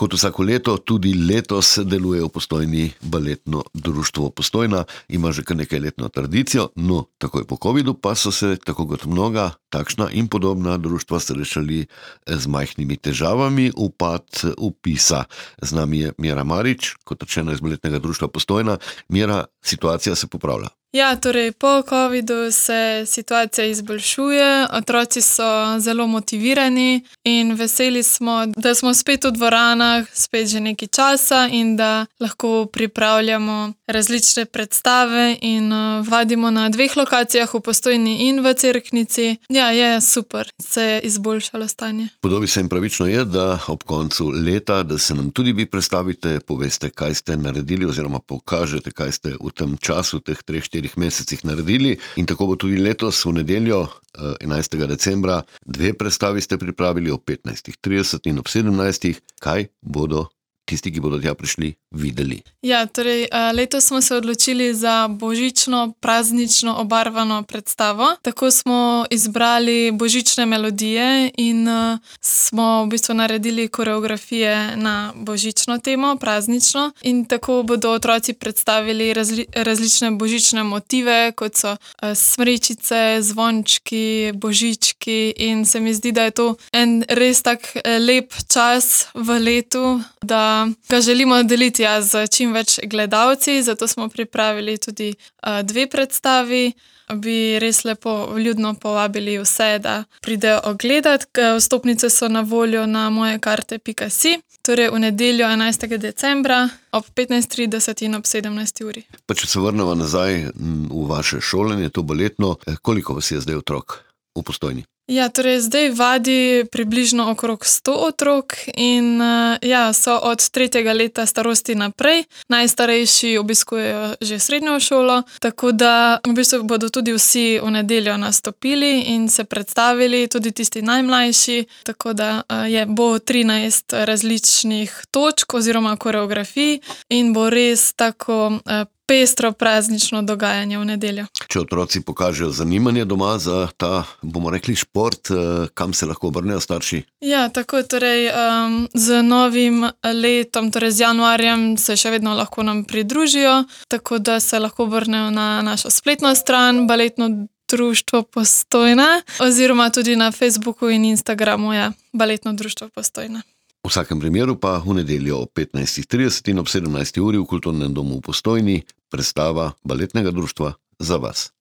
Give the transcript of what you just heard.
Kot vsako leto, tudi letos deluje v Postojni baletno društvo Postojna, ima že kar nekaj letno tradicijo, no takoj po covidu pa so se, tako kot mnoga takšna in podobna društva, srečali z majhnimi težavami, upad vpisa. Z nami je Mira Marič, kot rečeno iz baletnega društva Postojna. Mira, situacija se popravlja. Ja, torej po covidu se situacija izboljšuje, otroci so zelo motivirani in veseli smo, da smo spet v dvoranah, spet že nekaj časa in da lahko pripravljamo različne predstave in vadimo na 2 lokacijah, v Postojni in v Cerknici. Ja, je super, se je izboljšalo stanje. Podobi se in pravično je, da ob koncu leta, da se nam tudi vi predstavite, poveste, kaj ste naredili oziroma pokažete, kaj ste v tem času, teh 3-4 mesecih naredili, in tako bo tudi letos v nedeljo 11. decembra 2 predstavi ste pripravili ob 15:30 in ob 17. Kaj bodo tisti, ki bodo tja prišli, videli? Ja, torej letos smo se odločili za božično, praznično obarvano predstavo. Tako smo izbrali božične melodije in smo v bistvu naredili koreografije na božično temo, praznično, in tako bodo otroci predstavili različne božične motive, kot so smrečice, zvončki, božički, in se mi zdi, da je to en res tak lep čas v letu, da ga želimo deliti z čim več gledalci, zato smo pripravili tudi 2 predstavi. Bi res lepo vljudno povabili vse, da pridejo ogledat. Vstopnice so na voljo na mojekarte.si, torej v nedeljo 11. decembra ob 15:30 in ob 17. uri. Pa če se vrnemo nazaj v vaše šolanje, to baletno, koliko vas je zdaj otrok v Postojni? Ja, torej zdaj vadi približno okrog 100 otrok in so od 3. leta starosti naprej. Najstarejši obiskujejo že srednjo šolo, tako da v bistvu bodo tudi vsi v nedeljo nastopili in se predstavili, tudi tisti najmlajši, tako da bo 13 različnih točk oziroma koreografij in bo res tako pestro praznično dogajanje v nedeljo. Če otroci pokažejo zanimanje doma za ta, bomo rekli, šport, kam se lahko obrnejo starši? Ja, tako, torej z novim letom, torej z januarjem, se še vedno lahko nam pridružijo, tako da se lahko obrnejo na našo spletno stran Baletno društvo Postojna oziroma tudi na Facebooku in Instagramu, Baletno društvo Postojna. V vsakem primeru pa v nedeljo ob 15:30 in ob 17. uri v Kulturnem domu v Postojni predstava baletnega društva za vas.